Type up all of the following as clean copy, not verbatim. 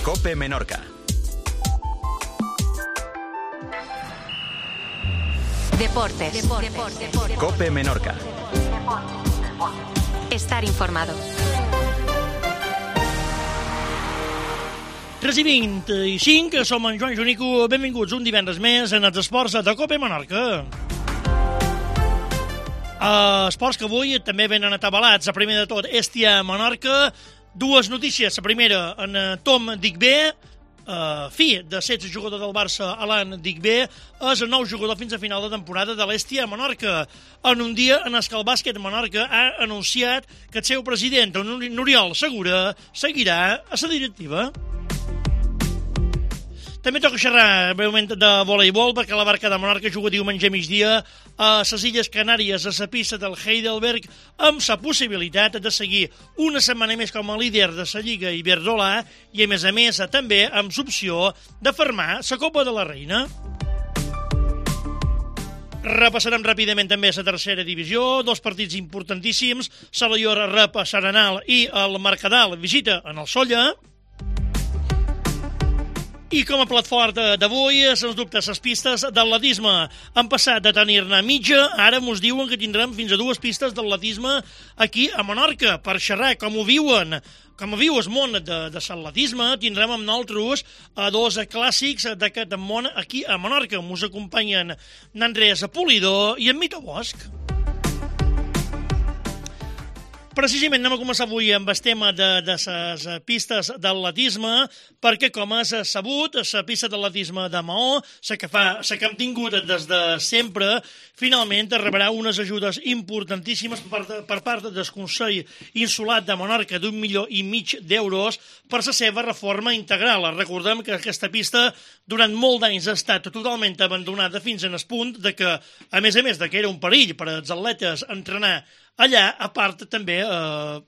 COPE Menorca. Deportes. COPE Menorca. Estar informado. 3:25, som en Joan Junico. Benvinguts un divendres més en els esports de COPE Menorca. Esports que avui també venen atabalats. A primer de tot, Hèstia Menorca. Dues notícies. La primera, en Tom Digbé, fi de 16 jugador del Barça, Alan Digbé, és el nou jugador fins a final de temporada de l'Hèstia Menorca, en un dia en què el bàsquet Menorca ha anunciat que el seu president, Oriol Segura, seguirà a la directiva. També toca xerrar breument de voleibol, perquè la Barca de Menorca juga diumenge migdia a les Illes Canàries, a la pista del Heidelberg, amb la possibilitat de seguir una setmana més com a líder de la Lliga Iberdrola i, a més, també amb l'opció de fermar la Copa de la Reina. Repassarem ràpidament també la tercera divisió, dos partits importantíssims, Salallor rep a Saranal i el Mercadal visita en el Solla. I com a plat fort d'avui, sens dubte, les pistes d'atletisme han passat de tenir-ne mitja, ara mos diuen que tindrem fins a dues pistes d'atletisme aquí a Menorca, per xerrar com ho viuen. Com viu el món de l'atletisme, tindrem amb nosaltres dos clàssics d'aquest món aquí a Menorca. Mos acompanyen n'Andrés Polidor i en Mito Bosch. Precisament anem a començar avui amb el tema de les pistes d'atletisme, perquè, com has sabut, la pista d'atletisme de Maó, la que hem tingut des de sempre, finalment rebrà unes ajudes importantíssimes per part del Consell Insular de Menorca d'1,5 milió d'euros per la seva reforma integral. Recordem que aquesta pista durant molt d'anys ha estat totalment abandonada fins en el punt de que, a més de que era un perill per als atletes entrenar allà, a part, també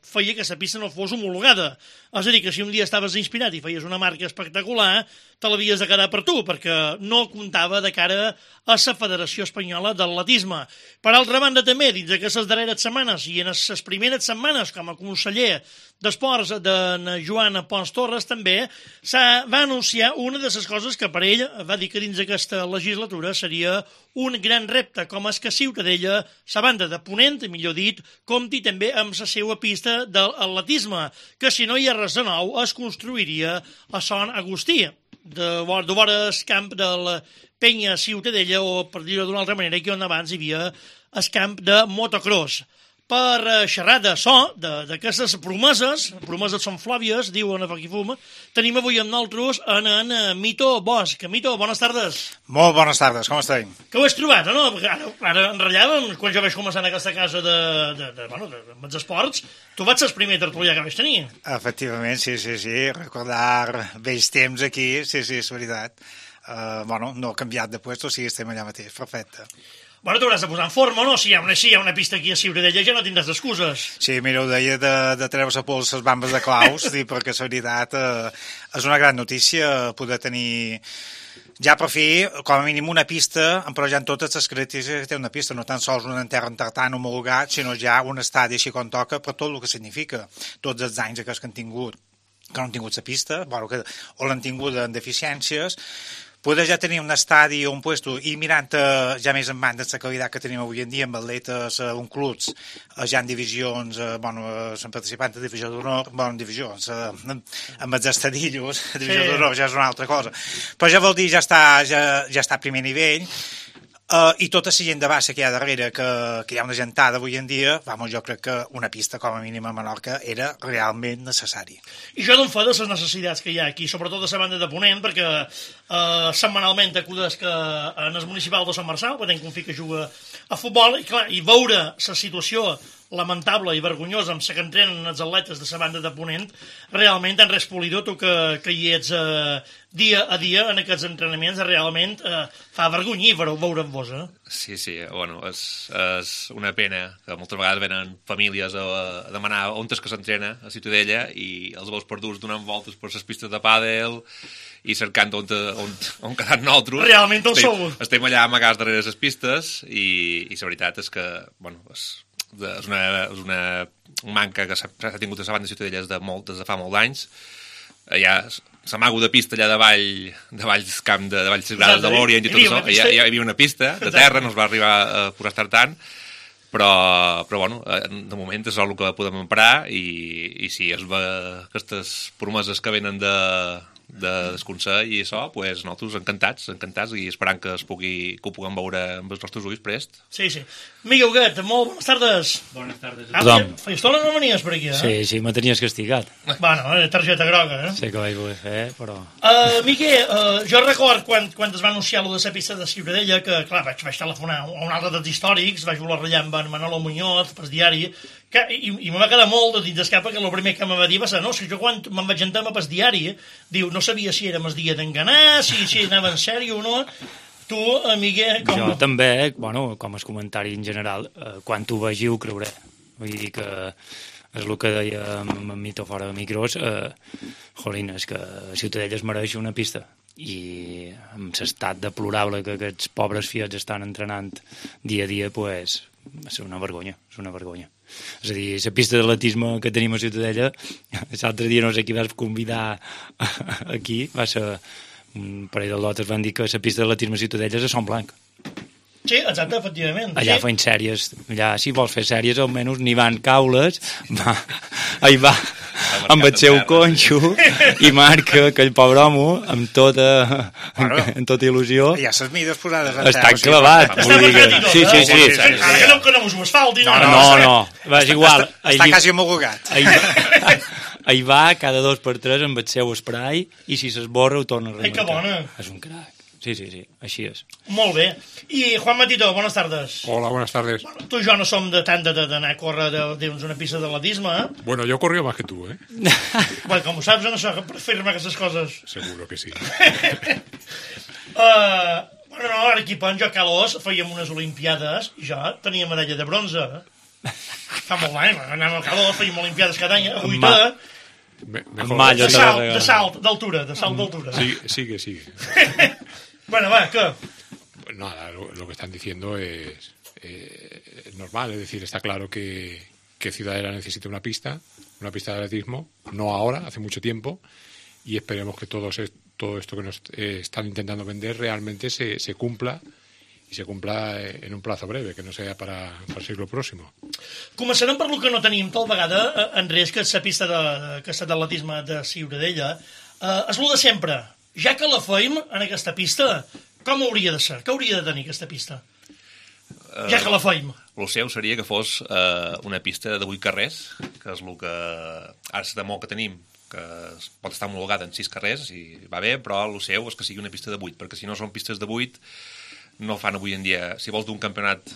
feia que la pista no fos homologada. És a dir, que si un dia estaves inspirat i feies una marca espectacular, te l'havies de quedar per tu, perquè no comptava de cara a la Federació Espanyola d'Atletisme. Per altra banda, també, dins d'aquestes darreres setmanes i en les primeres setmanes com a conseller d'Esports d'en Joan Pons Torres, també va anunciar una de les coses que per ell va dir que dins d'aquesta legislatura seria un gran repte, com és que Ciutadella, la banda de Ponent, millor dit, compti també amb la seva pista d'atletisme, que si no hi ha res de nou es construiria a Sant Agustí, de vora el camp de la Penya Ciutadella, o per dir-ho d'una altra manera, que on abans hi havia el camp de motocross. Per xerrar de d'aquestes promeses són flàvies, diuen a Foc i Fum, tenim avui amb nosaltres en Mito Bosch. Mito, bones tardes. Molt bones tardes, com estem? Que ho has trobat, no? Ara enrotllàvem, quan jo vaig començar en aquesta casa dels esports, tu vaig ser el primer tertulià que vaig tenir. Efectivament, sí, recordar vells temps aquí, sí, és veritat. No ha canviat de puesto, sí, estem allà mateix, perfecte. Bueno, t'hauràs de posar en forma, no? Si hi ha una pista aquí a Ciutadella ja no tindràs excuses. Sí, mira, ho deia de treure-se pols les bambes de claus, perquè la veritat és una gran notícia poder tenir ja per fi, com a mínim, una pista, emparejant totes les característiques que té una pista, no tan sols un enterra en tartan homologat, sinó ja un estadi així com toca, per tot el que significa. Tots els anys que han tingut, que no han tingut la pista, o l'han tingut en deficiències, poder ja tenir un estadi o un puesto i mirant ja més en banda la qualitat que tenim avui en dia amb atletes, un clubs, ja en divisions, són participants de divisió d'honor, en divisions, amb els estadillos, divisió d'honor ja és una altra cosa. Però ja vol dir, ja està a primer nivell, i tota la gent de baixa que hi ha darrere, que hi ha una gentada avui en dia, jo crec que una pista com a mínim a Menorca era realment necessari. I jo d'on fa de les necessitats que hi ha aquí, sobretot de la banda de Ponent, perquè setmanalment acudes que en el municipal de Sant Marçal, que tenc un fill que juga a futbol, i veure la situació lamentable i vergonyosa amb la que entrenen els atletes de la banda de Ponent, realment, Andrés Polidor, tu que hi ets dia a dia en aquests entrenaments, realment fa vergonyir veure amb vos, eh? Sí, és una pena que moltes vegades venen famílies a demanar on és que s'entrena a Ciutadella i els veus perduts donant voltes per les pistes de pàdel i cercant on quedar nosaltres. Realment on sou? Estem allà amagats darrere les pistes i la veritat és que, és una manca que s'ha tingut a la banda de Ciutadella des de fa molt d'anys. Ja s'amago de pista allà davall del camp de Valls Grades de l'Orient i tot això. Hi havia una pista de terra, no es va arribar a poder estar tant, però bueno, de moment és el que podem emprar i si es ve aquestes promeses que venen de desconsell i això, doncs nosaltres encantats i esperant que ho puguem veure amb els nostres ulls prest. Sí. Miguel Huguet, molt bones tardes. Bones tardes. Feia estona no venies per aquí, Sí, me tenies castigat. Bueno, targeta groga, Sé que vaig voler fer, però... Miguel, jo record quan es va anunciar lo de la pista de Ciutadella, que, clar, vaig telefonar a un altre dels històrics, vaig voler ratllar amb en Manolo Muñoz, pel diari, i me va quedar molt de dins d'escapa que el primer que me va dir va ser, no, si jo quan me'n vaig entrar pel diari, diu, no sabia si érem el dia d'enganar, si anava en sèrio o no. Tu, Miguel, com... Jo també, bueno, com a comentari en general, quan t'ho vegi ho creuré. Vull dir que és el que deia amb Mito fora de micros, jolín, és que Ciutadella es mereix una pista. I amb l'estat deplorable que aquests pobres fiats estan entrenant dia a dia, pues, és una vergonya, És a dir, la pista d'atletisme que tenim a Ciutadella, l'altre dia no sé qui vas convidar aquí, va ser un parell de lotes van dir que la pista d'atletisme a Ciutadella és a Son Blanc. Sí, exacte, efectivament. Allà feien sèries, allà si vols fer sèries almenys n'hi van caules, va amb el seu conxo i marca aquell pobre home amb tota il·lusió. Ja ses mides posades en està clavat. Sí. Ara que no us ho asfalti. No, és igual. Està quasi homologat. Ahí va cada 2 per 3 amb el seu spray i si s'esborra ho torna a remarcar. Ai, que bona. És un crac. Sí, així és. Molt bé. I Juan Matito, buenas tardes. Hola, buenas tardes. Bueno, tu i jo no som de tant d'anar a córrer una pista d'atletisme, Bueno, yo corrí más que tú, Bueno, com ho saps, no sé, per fer-me aquestes coses. Seguro que sí. Bueno, no, a l'equip en jo a Calós fèiem unes olimpiades i jo tenia medalla de bronze. Fa molt d'any, anàvem a Calós, fèiem olimpiades cada any, a Buita. Mejor. De salt d'altura. Sigue. Bueno, va, ¿qué? Pues nada, lo que están diciendo es normal, es decir, está claro que Ciudadela necesita una pista de atletismo, no ahora, hace mucho tiempo, y esperemos que todo esto que nos están intentando vender realmente se cumpla, i se cumpla en un plazo breve, que no sea para el siglo próximo. Començarem per lo que no tenim tal vegada, Andrés, que és la pista d'atletisme de Ciutadella. És lo de sempre. Ja que la feim en aquesta pista, com hauria de ser? Què hauria de tenir aquesta pista? Ja que la feim. El seu seria que fos una pista de 8 carrers, que és el que ara la demo que tenim, que pot estar homologada en 6 carrers, i va bé, però el seu és que sigui una pista de 8, perquè si no són pistes de 8, no fan avui en dia. Si vols d'un campionat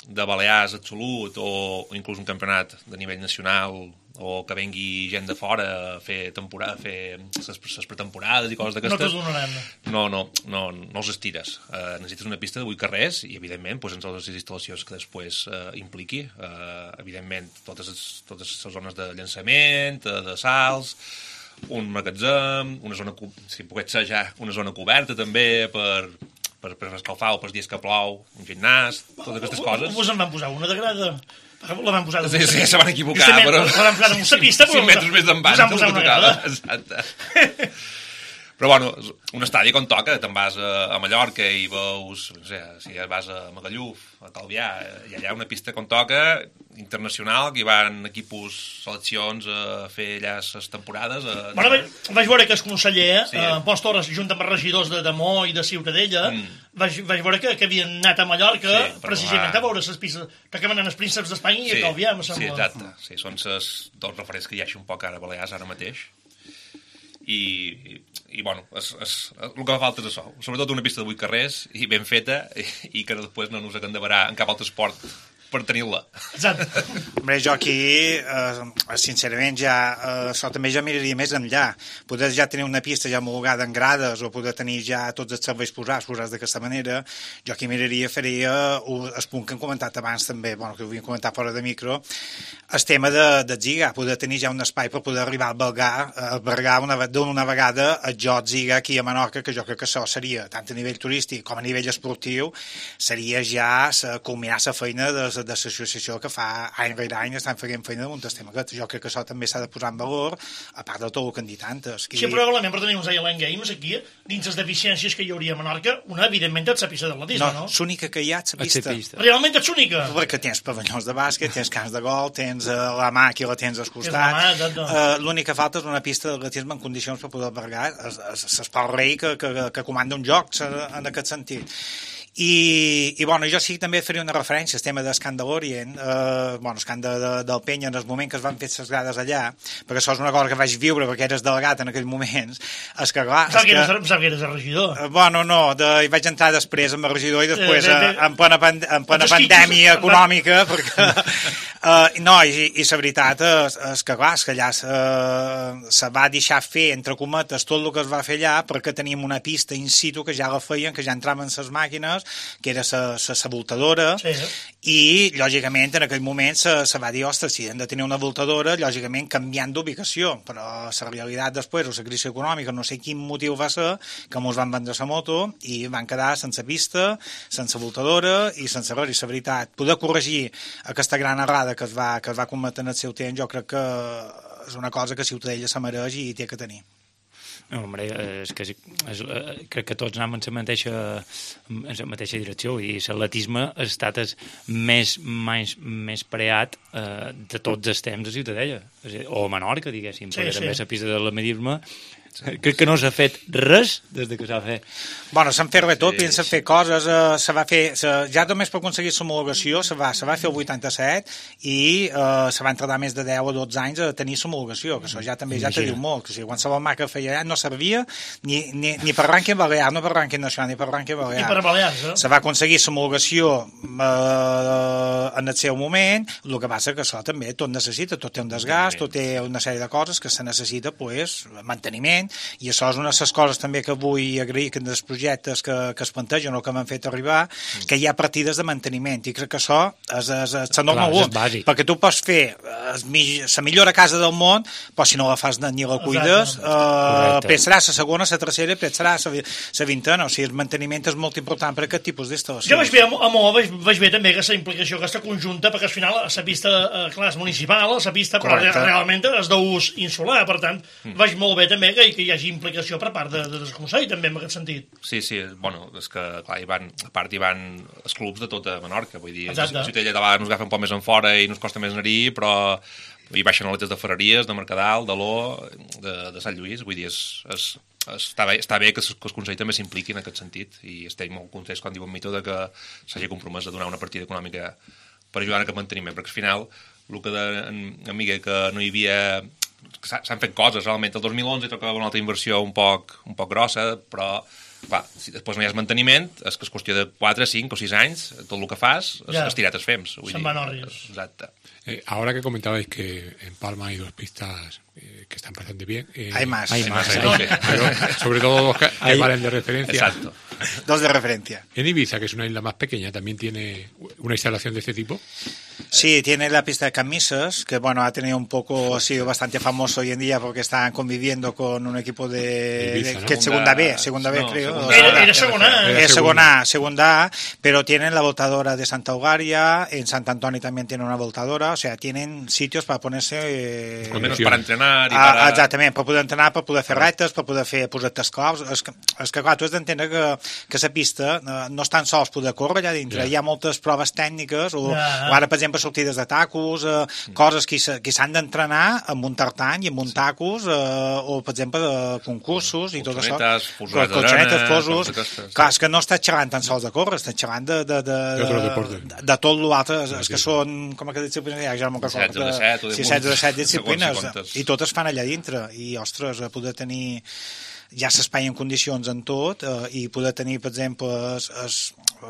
de Balears absolut o inclús un campionat de nivell nacional o que vengui gent de fora a fer les pretemporades i coses d'aquestes... No t'ho donaran. No els estires. Necessites una pista de 8 carrers i, evidentment, en totes les instal·lacions que després impliqui. Evidentment, totes les zones de llançament, de salts, un magatzem, una zona, si pogués ser ja, una zona coberta també per escalfar o pels dies que plou, un gimnàs, totes aquestes coses. Vos en van posar una de grada. La van posar... Sí, se van equivocar, però... La van posar en una pista, però... 5 metres més d'envant. Us han posat una grada. Exacte. Però, bueno, un estadi com toca, te'n vas a Mallorca i veus, no sé, si vas a Magalluf, a Calvià, i allà una pista com toca, internacional, que hi van equipos, seleccions a fer allà les temporades. Bueno, vaig veure que el conseller, Pons Torres, junt amb els regidors de Mó i de Ciutadella, vaig veure que havien anat a Mallorca precisament a veure les pistes que van anar els prínceps d'Espanya i a Calvià, em sembla. Sí, exacte. Sí, són els dos referents que hi ha un poc ara a Balears ara mateix. I bueno, el que fa falta és això, sobretot una pista de 8 carrers i ben feta i que després no ens acandevarà en cap altre esport per tenir-la. Exacte. Hombre, jo aquí, sincerament, això també ja miraria més enllà. Poder ja tenir una pista ja homologada en grades o poder tenir ja tots els serveis posats d'aquesta manera, jo aquí faria el punt que hem comentat abans també, bueno, que ho havíem comentat fora de micro, el tema de Ziga, poder tenir ja un espai per poder arribar a albergar d'una vegada el joc Ziga aquí a Menorca, que jo crec que això seria, tant a nivell turístic com a nivell esportiu, seria ja culminar la feina de l'associació que fa any rere any estan fent feina damunt el tema aquest. Jo crec que això també s'ha de posar en valor, a part de tot el que han dit antes. Sí, probablement per tenir uns Island Games aquí, dins les deficiències que hi hauria a Menorca, una, evidentment, és la pista d'atletisme, no? L'única que hi ha és la pista. Realment és l'única? Perquè tens pavellons de bàsquet, tens camps de gol, tens la màquina, tens als costats. L'únic que falta és una pista d'atletisme en condicions per poder albergar l'esport rei que comanda un joc en aquest sentit. I bueno, jo sí que també faria una referència al tema d'Escan de l'Orient, Escan del Penya, en el moment que es van fer les grades allà, perquè això és una cosa que vaig viure perquè eres delegat en aquells moments. És que, clar... Sap que eres el regidor. Hi vaig entrar després amb el regidor i després en plena pandèmia econòmica, perquè... I la veritat és que, clar, és que allà se va deixar fer, entre cometes, tot el que es va fer allà perquè teníem una pista in situ que ja la feien, que ja entraven les màquines, que era la voltadora, i, lògicament, en aquell moment se va dir, ostres, si hem de tenir una voltadora, lògicament canviant d'ubicació, però la realitat després, o la crisi econòmica, no sé quin motiu va ser, que mos van vendre la moto i van quedar sense pista, sense voltadora i sense res, i la veritat, poder corregir aquesta gran errada que es va cometre en el seu temps, jo crec que és una cosa que Ciutadella se mereix i té que tenir. No, home, crec que tots anem en la mateixa direcció i l'atletisme ha estat el més preat de tots els temps a Ciutadella, o a Menorca, diguéssim, perquè també la pista de l'atletisme crec que no s'ha fet res des que s'ha fet. Bueno, s'han fet res tot, s'han fet coses, se va fer, ja només per aconseguir l'homologació se va fer el 87 i se van tardar més de 10 o 12 anys a tenir l'homologació, que això ja també ja te diu molt, que si qualsevol marca feia no servia ni per rànquing balear, no per rànquing nacional, ni per rànquing balear. I per balears, Se va aconseguir l'homologació en el seu moment, el que passa que això també tot necessita, tot té un desgast, tot té una sèrie de coses que se necessita, manteniment, i això és una de les coses també que vull agrair que dels projectes que es plantegen o que m'han fet arribar, que hi ha partides de manteniment, i crec que això és el normal 1, perquè tu pots fer la millor casa del món, però si no la fas ni la cuides, pensarà la segona, la tercera, pensarà la vintena, o sigui, el manteniment és molt important per aquest tipus d'instal·lacions. Jo vaig veure a Mo, vaig veure també aquesta implicació, aquesta conjunta, perquè al final la pista, clar, és municipal, la pista, però realment és d'ús insular, per tant, vaig molt bé també que hi hagi implicació per part del Consell, també, en aquest sentit. Sí, bueno, és que, clar, a part hi van els clubs de tota Menorca, vull dir, a Ciutadella de vegades nos agafen un poc més en fora i nos costa més anar-hi, però hi baixen atletes de Ferreries, de Mercadal, de l'O, de Sant Lluís, vull dir, està bé que el Consell també s'impliqui en aquest sentit, i estem molt contents quan diuen Mito que s'hagi compromès a donar una partida econòmica per ajudar en aquest manteniment, perquè al final, el que deia en Miguel, que no hi havia... S'han fet coses, realment. El 2011 tocava una altra inversió un poc grossa, però, clar, si després no hi ha manteniment, és que és qüestió de 4, 5 o 6 anys, tot el que fas, és tirat els fems. Se'n van orris. Exacte. Ahora que comentabais que en Palma hay 2 pistas que están bastante bien. Hay más. Pero sobre todo 2 que valen de referencia. Exacto. 2 de referencia. En Ibiza, que es una isla más pequeña, también tiene una instalación de este tipo. Sí, tiene la pista de Camisas, que bueno, ha sido bastante famoso hoy en día porque están conviviendo con un equipo de Ibiza, ¿no? que es segunda B, creo. Era segunda A, pero tienen la voltadora de Santa Eugària, en Sant Antoni también tienen una voltadora, o sea, tienen sitios para ponerse... menos para entrenar i para... Exactament, per poder entrenar, per poder fer retes, per poder fer projectes claus. És que clar, tu has d'entendre que la pista no és tan sols poder córrer allà dintre, hi ha moltes proves tècniques, o ara, per exemple, sortides de tacos, coses que s'han d'entrenar amb un tartany i amb un tacos, o, per exemple, concursos i tot això. Colxonetes, fosos... Clar, és que no estàs xerrant tan sols de córrer, estàs xerrant de tot l'altre, és que són, com que disciplines hi ha, ja no me'n recordo. 16 o 17 disciplines, i totes fan allà dintre, i, ostres, poder tenir ja l'espai en condicions en tot, i poder tenir, per exemple,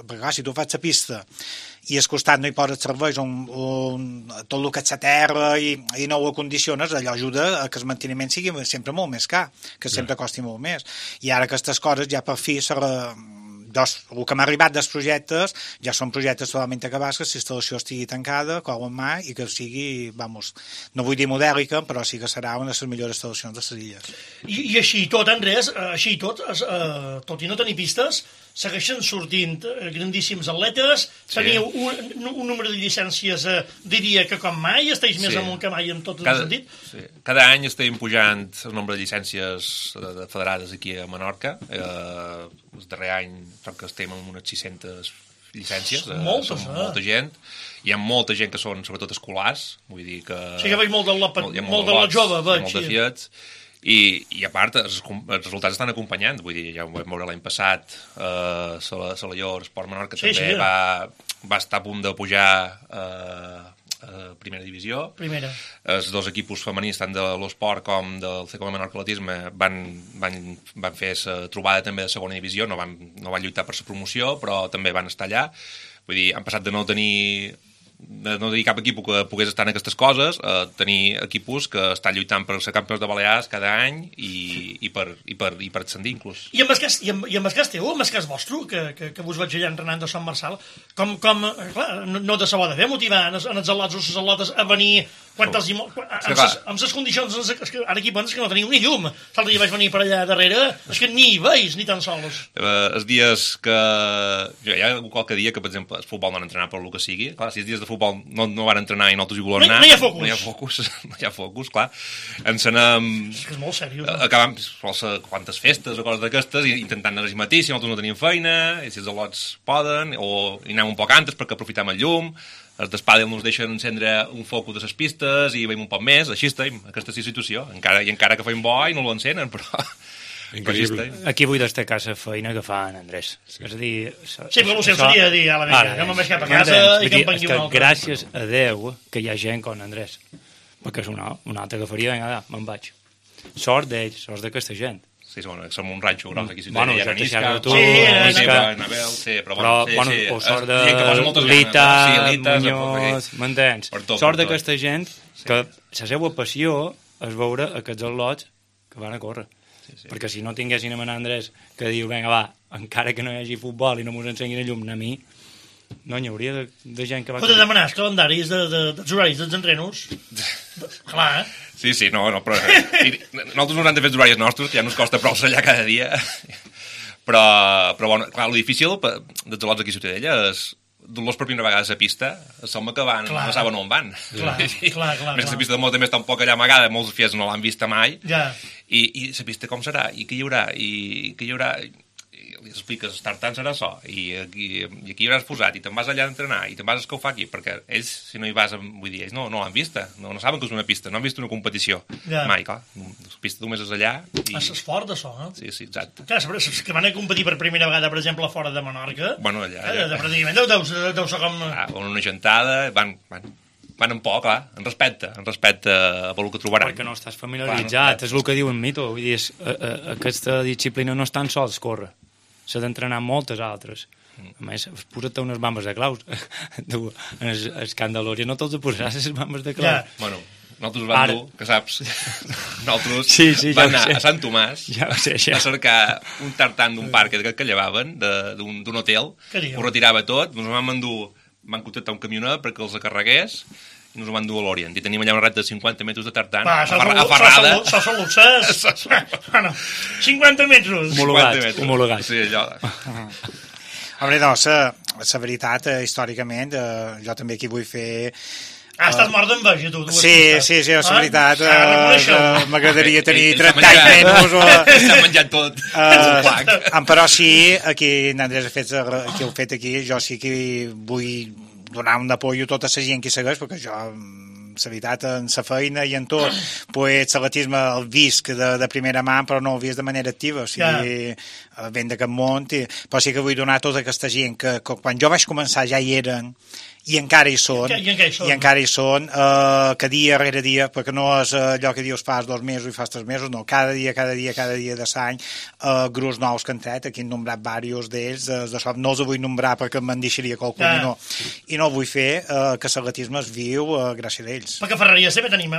perquè si tu fas la pista i al costat no hi poses serveis tot el que és la terra i no ho acondiciones, allò ajuda a que el manteniment sigui sempre molt més car, que sempre costi molt més. I ara aquestes coses ja per fi el que m'ha arribat dels projectes ja són projectes totalment acabats, que la instal·lació estigui tancada, clau en mà, i que sigui, no vull dir modèlica, però sí que serà una de les millors instal·lacions de les illes. I així tot, Andrés, tot i no tenir pistes, segueixen sortint grandíssims atletes, teniu un número de llicències, diria que com mai, esteu més amunt que mai en tot el sentit. Cada any estem pujant el nombre de llicències federades aquí a Menorca. El darrer any crec que estem amb unes 600 llicències. Moltes, molta gent. Hi ha molta gent que són, sobretot, escolars. Vull dir que... Sí que veig molt de la jove, veig. Molt de fiets. I a part, els resultats estan acompanyant. Vull dir, ja ho vam veure l'any passat, Salalló, Esport Menorca també va estar a punt de pujar a primera divisió. Els dos equipos femenins, tant de l'Esport com del CCO Menorca Atletisme, van fer la trobada també de segona divisió, no van lluitar per la promoció, però també van estar allà. Vull dir, han passat de no tenir cap equip que pogués estar en aquestes coses, tenir equipos que estan lluitant per ser campions de Balears cada any i per ascendir inclús. I amb el cas teu, amb el cas vostre, que vos vaig allà entrenant de Sant Marçal, com clar, no de saber de fer motivar en els atlots o les atlotes a venir amb les condicions, ara aquí penses que no teniu ni llum. L'altre dia vaig venir per allà darrere, és que ni hi veus, ni tan sols. Els dies que... Hi ha qualque dia que, per exemple, el futbol no han entrenat per el que sigui. Clar, si els dies de futbol no van entrenar i nosaltres hi volem anar... No hi ha focus. No hi ha focus, clar. Ens anem... És que és molt seriós. Acabam quantes festes o coses d'aquestes intentant anar al matí, si nosaltres no tenim feina, i si els atlots poden, o hi anem un poc antes perquè aprofitem el llum. Els d'Espadel ens deixen encendre un focus de les pistes i veiem un poc més, així estem, aquesta situació. Encara que feim bo i no l'encenen, però... Increïble. Aquí vull destacar la feina que fa en Andrés. És a dir... Sí, però el seu seria dir a la vegada, que me'n vaig cap a casa i que em pengui un altre. Gràcies a Déu que hi ha gent com Andrés, perquè és una altra que faria, vinga, me'n vaig. Sort d'ells, sort d'aquesta gent. Sí, som un ranxo gros aquí. Bueno, ja t'he xerrat tu, però o sort de Lita, Muñoz, m'entens? Sort d'aquesta gent que la seva passió és veure aquests atlots que van a córrer. Perquè si no tinguessin a Andrés que diu, vinga, va, encara que no hi hagi futbol i no mos ensenyin a llum a mi, no hi hauria de gent que va... Pots demanar els calendaris dels horaris dels entrenos? Clar, Sí, no, però... Nosaltres no hem de fer els horaris nostres, que ja ens costa prou allà cada dia. Però bueno, clar, el difícil dels atlots aquí a Ciutadella és dur-los per primera vegada a la pista, som que van, no saben on van. Clar. Més la pista de molt també està un poc allà amagada, molts fies no l'han vista mai. I la pista com serà? I què hi haurà? I li expliques, estar tant serà això, i aquí hi hauràs posat, i te'n vas allà a entrenar, i te'n vas a escaufar aquí, perquè ells, si no hi vas, vull dir, ells no l'han vista, no saben que és una pista, no han vist una competició. Mai, clar, la pista només és allà. És fort, això, no? Sí, exacte. Clar, que van a competir per primera vegada, per exemple, fora de Menorca. Bueno, allà. Pràcticament deu ser com... Una gentada, van en por, clar, en respecte a pel que trobaran. Perquè no estàs familiaritzat, és el que diu en Mito, vull dir, aquesta disciplina no és tan sols córrer, s'ha d'entrenar moltes altres. A més, posa't unes bambes de claus. En el camp de l'Òria no te'ls posaràs les bambes de claus. Bueno, nosaltres vam dur, que saps, nosaltres vam anar a Sant Tomàs a cercar un tartan d'un parc que llevaven, d'un hotel, ho retirava tot, ens vam contractar un camioner perquè els carregués, i ens ho van dur a l'Orient. I tenim allà una reta de 50 metres de tartan, aferrada. Això són luxes. 50 metres. Homologat. Sí, allò. Home, no, la veritat, històricament, jo també aquí vull fer... estàs mort d'enveja, tu. Sí, és veritat. M'agradaria tenir 30 anys menys. S'ha menjat tot. Però sí, aquí n'Andrés ha fet aquí, jo sí que vull donar un apoyo a tota la gent que segueix, perquè jo, la veritat, en la feina i en tot, pues l'atletisme el visc de primera mà, però no el visc de manera activa, o sigui, ben de cap món, però sí que vull donar a tota aquesta gent que quan jo vaig començar ja hi eren, i encara hi són, que dia rere dia, perquè no és allò que dius fas 2 mesos i fas 3 mesos, no, cada dia de l'any, grups nous que han tret, aquí han nombrat diversos d'ells, no els vull nombrar perquè me'n deixaria qualcun, i no vull fer que l'atletisme es viu gràcies a ells. Perquè a Ferreria sempre tenim,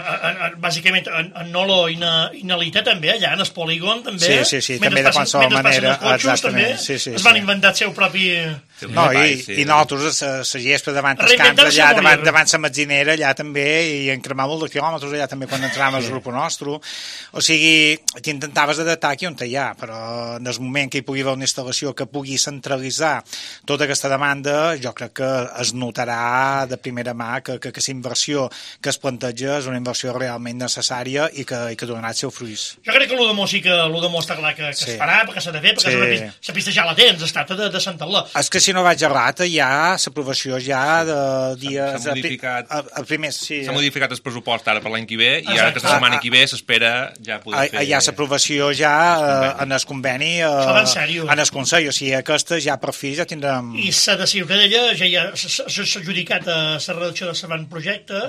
bàsicament, en Nolo i na Lita també, allà en el polígon, també. Sí, també de qualsevol manera, exactament. Es van inventar el seu propi... No, i nosaltres, la gespa davant tanques camps allà davant la metzinera, allà també, i en cremar molt de quilòmetres allà també quan entràvem al grup nostre. O sigui, t'intentaves adaptar aquí on hi ha, però en el moment que hi pugui haver una instal·lació que pugui centralitzar tota aquesta demanda, jo crec que es notarà de primera mà que la inversió que es planteja és una inversió realment necessària i que donarà els seus fruits. Jo crec que l'Udemó sí que l'Udemó està clar que es farà, perquè s'ha de fer, perquè la pista ja la tens, es tracta de centrar-la. És que si no vaig errat, hi ha l'aprovació ja de dies... S'ha modificat el pressupost ara per l'any que ve i ara aquesta setmana que ve s'espera ja poder fer... Hi ha l'aprovació ja en el conveni, en el Consell, o sigui, aquesta ja per fi ja tindrem... I s'ha de Ciutadella ja s'ha adjudicat a la redacció del projecte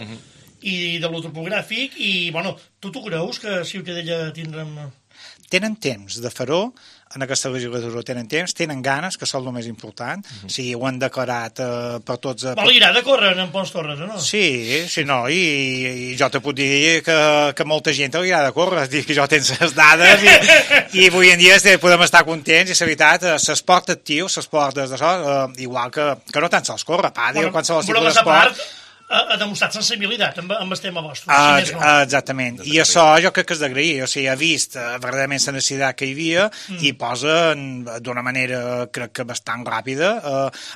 i de l'otopogràfic i, bueno, tu creus que Ciutadella tindrem... Tenen temps de fer-ho, en aquesta legislatura tenen ganes, que són el més important, o sigui, ho han declarat per tots... Li agrada córrer en Pons Torres, no? Sí, no, i jo te puc dir que molta gent li agrada córrer, que jo tens les dades i avui en dia podem estar contents, i la veritat, l'esport actiu, l'esport d'això, igual que no tan sols córrer, pàdel, qualsevol tipus d'esport... ha demostrat sensibilitat amb el tema vostre. Exactament. I això jo crec que és d'agrair. O sigui, ha vist verdaderament la necessitat que hi havia i posa d'una manera, crec que bastant ràpida,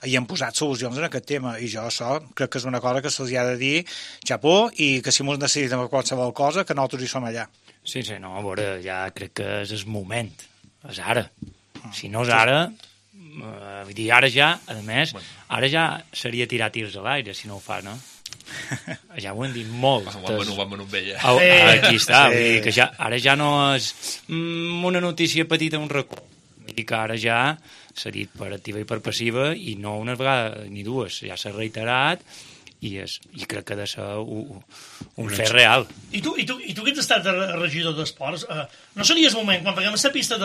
i han posat solucions en aquest tema. I jo això crec que és una cosa que se'ls ha de dir xapó i que si mos necessitem qualsevol cosa, que nosaltres hi som allà. Sí, no, a veure, ja crec que és el moment. És ara. Si no és ara... vull dir, ara ja, a més, ara ja seria tirar tirs a l'aire, si no ho fa, no? Ja ho hem dit molt. Aquí està, vull dir que ara ja no és una notícia petita, un racó. Vull dir que ara ja s'ha dit per activa i per passiva, i no una vegada ni dues, ja s'ha reiterat, i crec que ha de ser un fet real. I tu que ets estat regidor d'esports, no seria el moment, quan paguem aquesta pista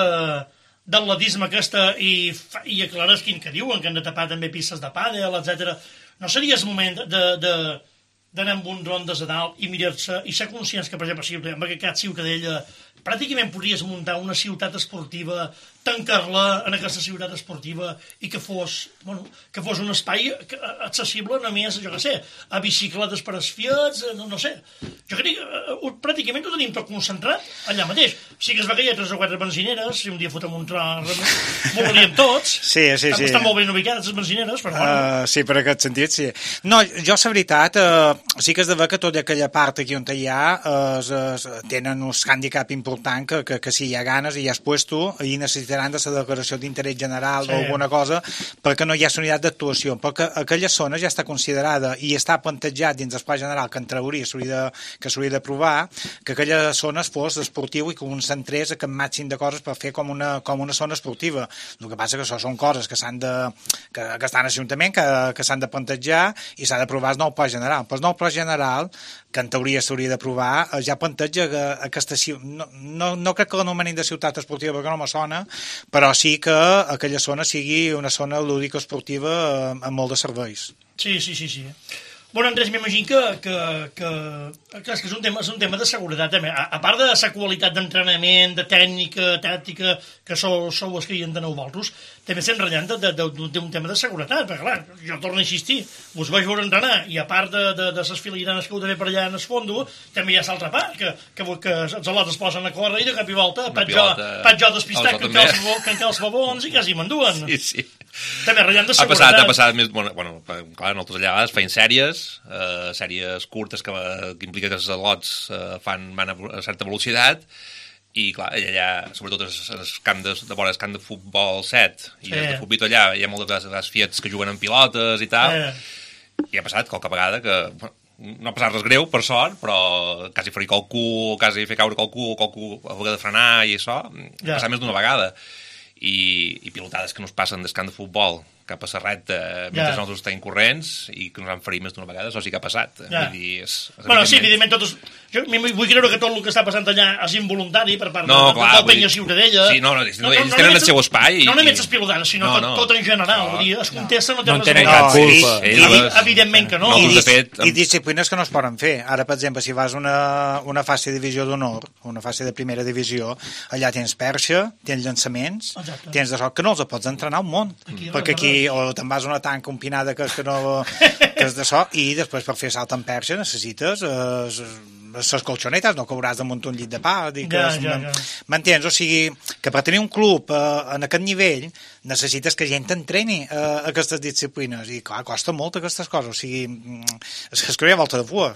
d'atletisme aquesta i aclares quin que diuen, que han de tapar també pistes de pàdel, etc. No seria el moment d'anar amb un rondes a dalt i mirar-se i ser conscients que, per exemple, amb aquest cas Ciutadella pràcticament podries muntar una ciutat esportiva, tancar-la en aquesta ciutat esportiva i que fos un espai accessible només, jo què sé, a bicicletes per als fiats, no sé. Jo crec que pràcticament ho tenim tot concentrat allà mateix. Sí que es va que hi ha 3 o 4 benzineres, si un dia fotem un tro, molaríem tots. Sí. Estan molt ben ubicades les benzineres, però bueno. Sí, per aquest sentit, sí. No, jo, la veritat, sí que és de veure que tota aquella part aquí on hi ha tenen un hàndicap important que si hi ha ganes i hi has puesto i necessitaran de la declaració d'interès general o alguna cosa perquè no hi ha la unitat d'actuació, perquè aquella zona ja està considerada i està plantejat dins del pla general que en teoria s'hauria d'aprovar, que aquella zona fos esportiu i que un centrés aquest màxim de coses per fer com una zona esportiva. El que passa que això són coses que estan a l'Ajuntament, que s'han de plantejar i s'ha d'aprovar el nou pla general. Però el nou pla general, que en teoria s'hauria d'aprovar, ja planteja que aquesta no crec que l'anomenin de ciutat esportiva perquè no me sona, però sí que aquella zona sigui una zona lúdica esportiva amb molt de serveis. Sí. Bueno, Andrés, m'imagino que és un tema de seguretat també. A part de la qualitat d'entrenament, de tècnica, tàctica, que sou els que hi enteneu vosaltres, també estem ratllant d'un tema de seguretat, perquè clar, jo torno a insistir, us vaig veure entrenar, i a part de les filigranes que heu de fer per allà en el fondo, també hi ha l'altra part, que els al·lots es posen a córrer i de cap i volta faig jo despistat que en els babons i quasi m'enduen. Sí. També ratllant de seguretat. Ha passat més... Bueno, clar, nosaltres allà a vegades feien sèries curtes que impliquen que els al·lots van a certa velocitat, i clar, allà, sobretot en el camp de vora el camp de futbol 7 i el de futbol allà, hi ha moltes vegades fiats que juguen amb pilotes i tal, i ha passat qualque vegada que no ha passat res greu, per sort, però quasi ferir qualcú, quasi fer caure qualcú a vegada de frenar i això, ha passat més d'una vegada. I pilotades que no es passen del camp de futbol cap a la recta mentre nosaltres estem corrents i que ens han ferit més d'una vegada, això sí que ha passat. Vull dir, sí, evidentment, jo vull creure que tot el que està passant allà és involuntari per part del Penya Ciutadella. Sí, ells tenen el seu espai. No només les pilotades, sinó tot en general. Vull dir, es contesta, no tenen cap culpa. Evidentment que no. I disciplines que no es poden fer. Ara, per exemple, si vas a una fase de divisió d'honor, una fase de primera divisió, allà tens perxa, tens llançaments, tens de sol, que no els pots entrenar un munt, perquè aquí o te'n vas a una tanca empinada que no... que és d'això, i després per fer salt en perxa necessites les colxonetes, no cauràs damunt un llit de pa. M'entens? O sigui, que per tenir un club en aquest nivell necessites que gent entreni aquestes disciplines, i clar, costa molt aquestes coses, o sigui, es creia volta de fua.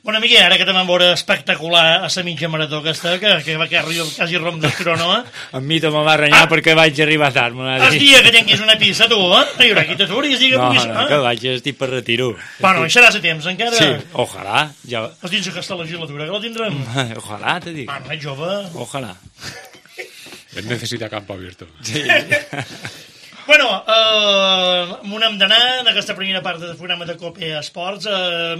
Bueno, Miguel, ara que te vam veure espectacular a la mitja marató aquesta, que va quasi rom del crono, A mi te me va renyar perquè vaig arribar tard. El dia que tinguis una pista, tu, hi haurà qui t'aturis, que puguis... No, que vaig, estic per retiro. Bueno, hi seràs a temps, encara... Sí, ojalà. Ja... Els dins aquesta legislatura, que la tindrem? Ojalà, te dic. Bueno, ets jove. Ojalà. Él necesita campo abierto. Sí. Bueno, on hem d'anar en aquesta primera part del programa de COPE Esports.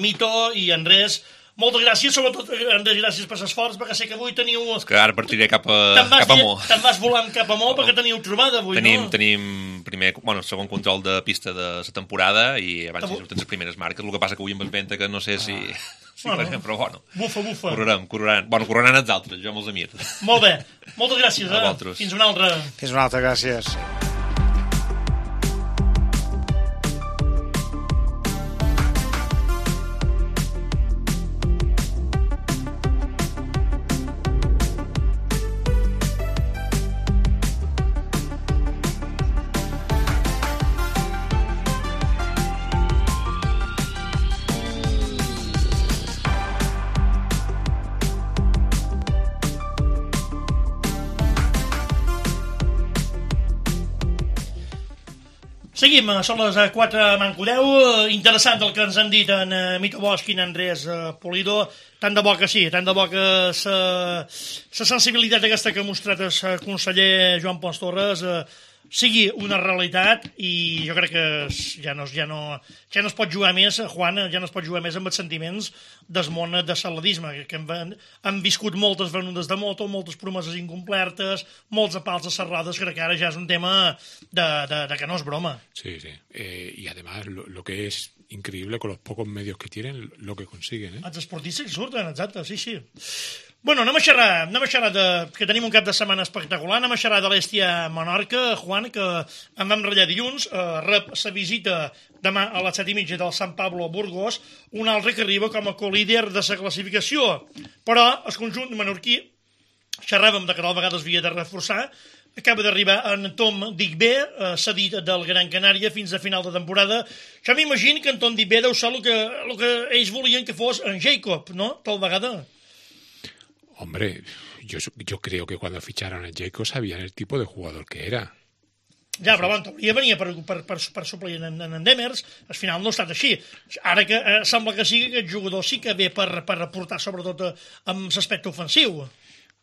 Mito i Andrés, moltes gràcies, sobretot Andrés, gràcies per l'esforç, perquè sé que avui teniu... Que ara partiré cap a Mo. Te'n vas volant cap a Mo perquè teniu trobada avui, no? Tenim primer, segon control de pista de la temporada i abans hi surten les primeres marques. El que passa que avui amb el venta que no sé si... Però bueno. Bufa. Correran els altres, jo me'ls amir. Molt bé. Moltes gràcies, A vosaltres. Fins una altra. Fins una altra, gràcies. Seguim, són les 4 manco 10. Interessant el que ens han dit en Mito Bosch i en Andrés Polido. Tant de bo que sí, tant de bo que la sensibilitat aquesta que ha mostrat el conseller Joan Pons Torres sigui una realitat, i jo crec que ja no es pot jugar més, Juan, ja no es pot jugar més amb els sentiments del món de l'atletisme, que han viscut moltes venudes de moto, moltes promeses incomplertes, molts apals a les rodes, crec que ara ja és un tema de que no és broma. Sí. Y además lo que es increíble con los pocos medios que tienen, lo que consiguen. Els esportistes que surten, exacte, sí. Bueno, anem a xerrar que tenim un cap de setmana espectacular, anem a xerrar de l'Hèstia Menorca, Juan, que en vam ratllar dilluns, rep la visita demà a les 7:30 del Sant Pablo Burgos, un altre que arriba com a co-líder de la classificació. Però el conjunt menorquí, xerràvem de que tal vegada es havia de reforçar, acaba d'arribar en Tom Digbé, cedit del Gran Canària fins a final de temporada. Jo m'imagino que en Tom Digbé deu ser el que ells volien que fos en Jacob, no? Tal vegada. Hombre, yo creo que cuando ficharon a Jacob sabían el tipo de jugador que era. Ja, però bueno, hauria de venir per suplir en Demers, al final no ha estat així. Ara que sembla que sigui aquest jugador sí que ve per aportar sobretot amb l'aspecte ofensiu.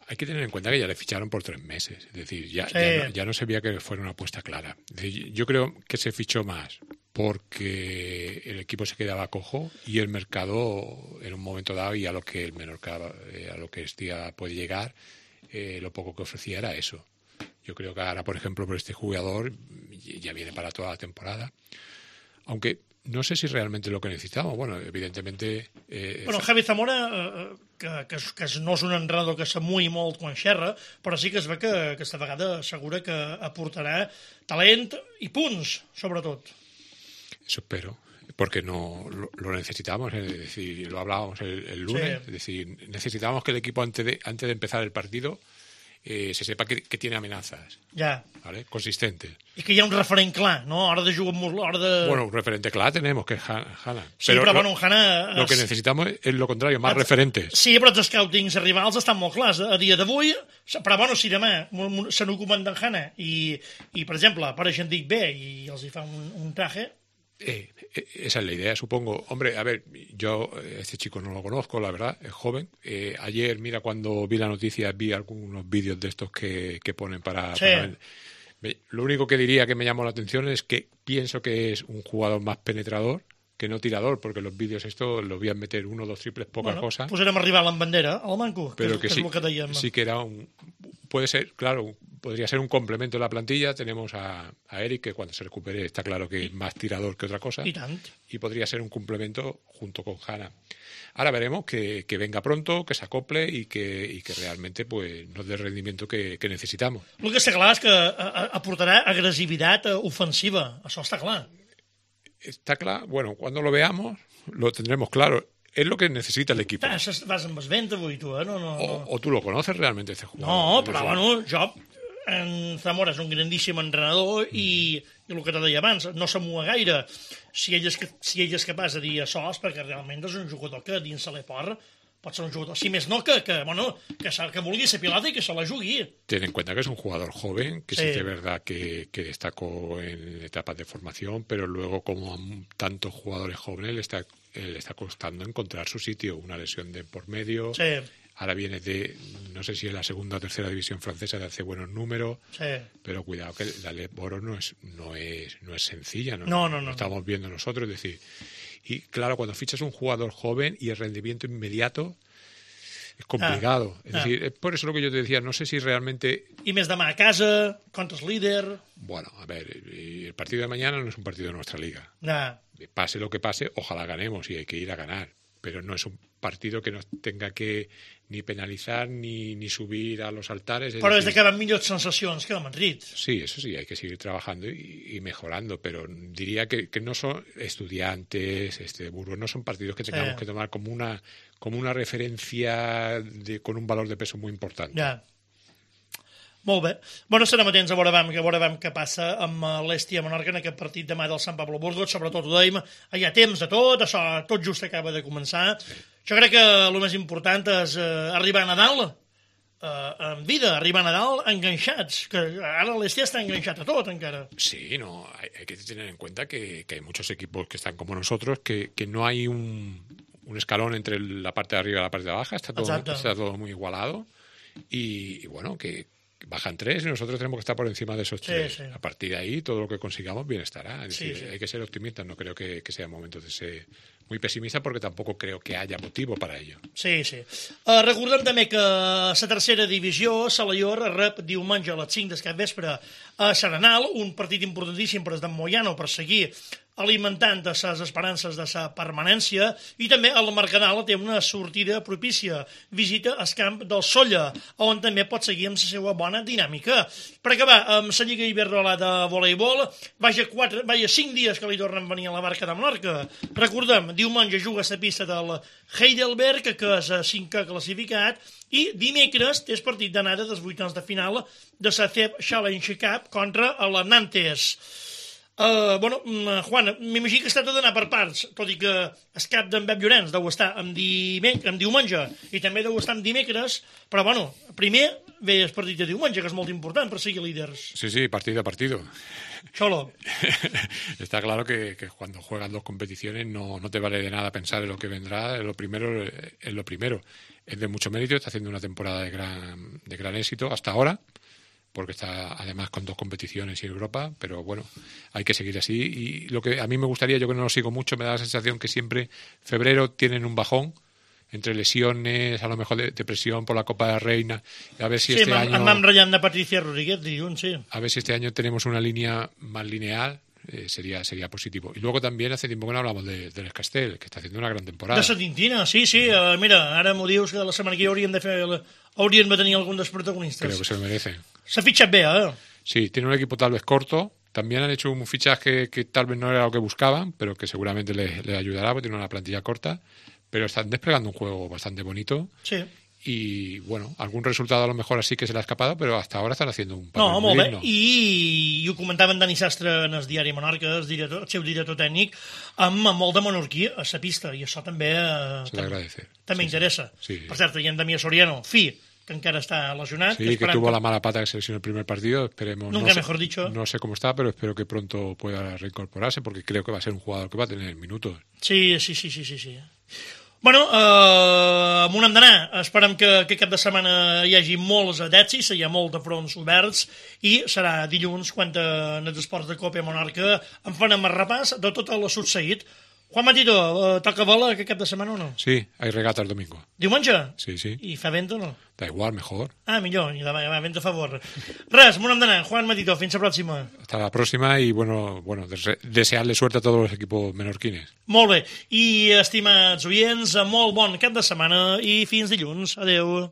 Hay que tener en cuenta que ya le ficharon por 3 meses, es decir, ya no se veía que fuera una apuesta clara. Es decir, yo creo que se fichó más porque el equipo se quedaba cojo y el mercado en un momento dado, y a lo que el Menorca, a lo que Hestia puede llegar, lo poco que ofrecía era eso. Yo creo que ahora, por ejemplo, por este jugador ya viene para toda la temporada, aunque no sé si realmente lo que necesitamos. Bueno, evidentemente... Javi Zamora, que no és un entrenador que s'amuï molt quan xerra, però sí que es ve que aquesta vegada assegura que aportarà talent i punts, sobretot. Eso espero, porque no lo necesitamos, es decir, lo hablábamos el lunes, sí. Es decir, necesitamos que el equipo antes de empezar el partido se sepa que tiene amenazas. Ya. ¿Vale? Consistentes. Y que hi ha un referent clar, ¿no? Hora de jugar molt... Bueno, un referente clar tenemos, que es Hannah. Sí, però bueno, Hannah... Lo que necesitamos es lo contrario, más referentes. Sí, però els scoutings rivals estan molt clars. A dia d'avui, però bueno, si demà se n'ocupen d'en Hannah i, per exemple, apareixen Dick B i els hi fa un traje... Esa es la idea, supongo. Hombre, a ver, yo este chico no lo conozco, la verdad, es joven. Ayer, mira, cuando vi la noticia, vi algunos vídeos de estos que ponen para... Lo único que diría que me llamó la atención es que pienso que es un jugador más penetrador que no tirador, porque los vídeos estos los voy a meter 1 o 2 triples, poca cosa. Posarem a rival en bandera, al manco, pero que és sí, el que dèiem. Sí que era puede ser, claro, podría ser un complemento de la plantilla. Tenemos a Eric, que cuando se recupere está claro que es más tirador que otra cosa. I tant. Y podría ser un complemento junto con Hanna. Ahora veremos que venga pronto, que se acople y que realmente pues, nos dé el rendimiento que necesitamos. El que està clar és que aportarà agressivitat ofensiva, això està clar. Está claro, bueno, cuando lo veamos lo tendremos claro. Es lo que necesita el equipo. Vas amb esvent avui, tu, No. O tú lo conoces realmente este jugador. No, però bueno, jo, en Zamora és un grandíssim entrenador i el que te deia abans, no s'amua gaire. Si ell és capaç de dir això és perquè realment és un jugador que dins de l'Eport pot ser un jugador, si més no, que vulgui ser pilota i que se la jugui. Ten en cuenta que es un jugador joven, que sí es verdad que destacó en etapas de formación, pero luego, como a tantos jugadores jóvenes, le está costando encontrar su sitio. Una lesión de por medio. Sí. Ahora viene no sé si es la segunda o tercera división francesa, de hace buenos números. Sí. Pero cuidado que la Leboro no es sencilla. No. Lo estamos viendo nosotros, es decir. Y claro, cuando fichas un jugador joven y el rendimiento inmediato es complicado. Es decir, es por eso lo que yo te decía, no sé si realmente... I més demà a casa, contra el líder... Bueno, a ver, el partido de mañana no es un partido de nuestra liga. No. Pase lo que pase, ojalá ganemos y hay que ir a ganar. Pero no es un partido que nos tenga que ni penalizar ni subir a los altares. Però és de que van millors sensacions que a Madrid. Sí, eso sí, hay que seguir trabajando y mejorando, pero diría que no son estudiantes, Burgos, no son partidos que tengamos que tomar como una referencia con un valor de peso muy importante. Ja. Molt bé. Bueno, estarem atents a veure què passa amb l'Estia Menorca en aquest partit demà del Sant Pablo Burgos. Sobretot ho dèiem, hi ha temps de tot, això tot just acaba de començar. Jo crec que el més important és arribar a Nadal en vida, arribar a Nadal enganxats, que ara l'Estia està enganxat a tot encara. Sí, no, hay que tener en cuenta que hay muchos equipos que están como nosotros, que no hay un escalón entre la parte de arriba y la parte de abajo, está todo muy igualado y bueno, que bajan 3 y nosotros tenemos que estar por encima de esos 3. Sí. A partir de ahí, todo lo que consigamos bien estará. Es decir, hay que ser optimistas. No creo que sea momento de ser muy pesimista, perquè tampoc creo que haya motivo para ello. Sí. Recordem també que la tercera divisió, Salaior, rep diumenge a les 5 del capvespre a Serenal, un partit importantíssim per d'en Moyano per seguir alimentant les esperances de la permanència, i també el Mercadal té una sortida propícia, visita al camp del Solla, on també pot seguir amb la seva bona dinàmica. Per acabar, amb la Lliga Iberdrola de voleibol, vaja 5 dies que li tornen a venir a la barca de Menorca. Recordem, diumenge juga a la pista del Heidelberg, que és 5è classificat, i dimecres té el partit d'anada dels vuitens de final de la CEP Challenge Cup contra el Nantes. Juan, m'imagino que es tracta d'anar per parts, tot i que el cap d'en Pep Llorenç deu estar en diumenge i també deu estar en dimecres, però primer ve el partit de diumenge, que és molt important per seguir líders. Sí, partido a partido. Cholo. Está claro que cuando juegas 2 competiciones no te vale de nada pensar en lo que vendrá, lo primero es lo primero. Es de mucho mérito, está haciendo una temporada de gran éxito hasta ahora, porque está además con 2 competiciones en Europa, pero bueno, hay que seguir así. Y lo que a mí me gustaría, yo que no lo sigo mucho, me da la sensación que siempre febrero tienen un bajón, entre lesiones, a lo mejor de depresión por la Copa de Reina, a ver si este año... Sí, m'han ratllat de Patricia Rodríguez, dilluns, sí. A ver si este año tenemos una línea más lineal, sería positivo. Y luego también hace tiempo que no hablamos del Escastel, que está haciendo una gran temporada. De la Tintina, sí, mira, ara m'ho dius que la setmana que hauríem de tenir algun dels protagonistes. Creo que se lo merecen. S'ha fitxat bé, Sí, tiene un equipo tal vez corto. También han hecho un fichaje que tal vez no era lo que buscaban, pero que seguramente les ayudará, porque tiene una plantilla corta. Pero están desplegando un juego bastante bonito. Sí. Y, bueno, algún resultado a lo mejor así que se le ha escapado, però hasta ahora estan haciendo un papel molt bé. I ho comentava en Dani Sastre en el diari Menorca, el seu director tècnic, amb molt de menorquí a la pista, i això també també interessa. Sí. Per cert, hi ha en Damià Soriano, que encara está lesionado. Sí, que tuvo la mala pata que se lesionó el primer partido, esperemos. Nunca mejor dicho. No sé cómo está, pero espero que pronto pueda reincorporarse, porque creo que va a ser un jugador que va a tener minutos. Sí. Bueno, on hem d'anar? Esperem que cap de setmana hi hagi molts adepsis, hi ha molts de fronts oberts, i serà dilluns quan en els esports de Copa Menorca en farem el repàs de tot el succeït. Juan Matito, toca bola aquest cap de setmana o no? Sí, hay regata el domingo. Diumenge? Sí, sí. I fa vent o no? Da igual, mejor. Ah, millor, i va vent a favor. Res, m'ho hem d'anar. Juan Matito, fins la pròxima. Hasta la próxima y bueno, desearle suerte a todos los equipos menorquines. Molt bé. I, estimats oients, molt bon cap de setmana i fins dilluns. Adeu.